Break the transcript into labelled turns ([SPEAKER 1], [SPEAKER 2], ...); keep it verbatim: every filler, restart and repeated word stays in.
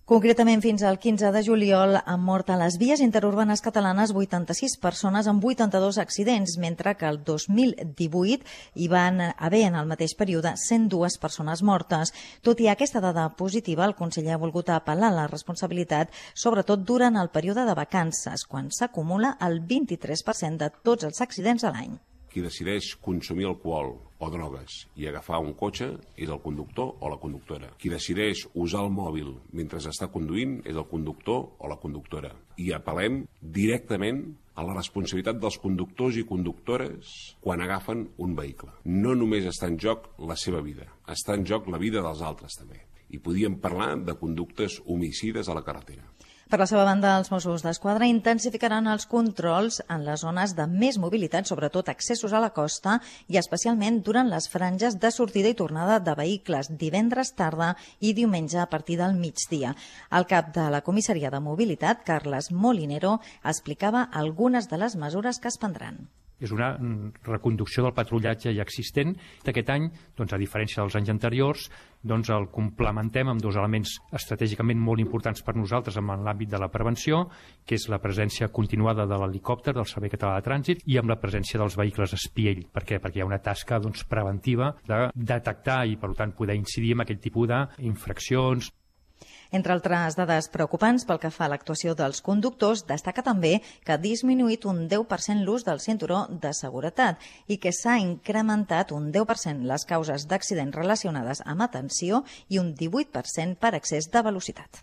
[SPEAKER 1] Concretament, fins al quinze de juliol han mort a les vies interurbanes catalanes vuitanta-sis persones amb vuitanta-dos accidents, mentre que el dos mil divuit hi van haver en el mateix període cent dues persones mortes. Tot i aquesta dada positiva, el conseller ha volgut apel·lar la responsabilitat, sobretot durant el període de vacances, quan s'acumula el vint-i-tres per cent de tots els accidents a l'any.
[SPEAKER 2] Qui decideix consumir alcohol o drogues i agafar un cotxe és el conductor o la conductora. Qui decideix usar el mòbil mentre està conduint és el conductor o la conductora. I apel·lem directament a la responsabilitat dels conductors i conductores quan agafen un vehicle. No només està en joc la seva vida, està en joc la vida dels altres també. I podíem parlar de conductes homicides a la carretera.
[SPEAKER 1] Per la seva banda, els Mossos d'Esquadra intensificaran els controls en les zones de més mobilitat, sobretot accessos a la costa i especialment durant les franges de sortida i tornada de vehicles divendres tarda i diumenge a partir del migdia. El cap de la Comissaria de Mobilitat, Carles Molinero, explicava algunes de les mesures que es prendran.
[SPEAKER 3] És una reconducció del patrullatge ja existent. Aquest any, doncs, a diferència dels anys anteriors, doncs, el complementem amb dos elements estratègicament molt importants per nosaltres en l'àmbit de la prevenció, que és la presència continuada de l'helicòpter del Servei Català de Trànsit i amb la presència dels vehicles espiell. Per què? Perquè hi ha una tasca doncs, preventiva de detectar i, per tant, poder incidir en aquest tipus d'infraccions.
[SPEAKER 1] Entre altres dades preocupants pel que fa a l'actuació dels conductors, destaca també que ha disminuït un deu per cent l'ús del cinturó de seguretat i que s'ha incrementat un deu per cent les causes d'accidents relacionades amb atenció i un divuit per cent per excés de velocitat.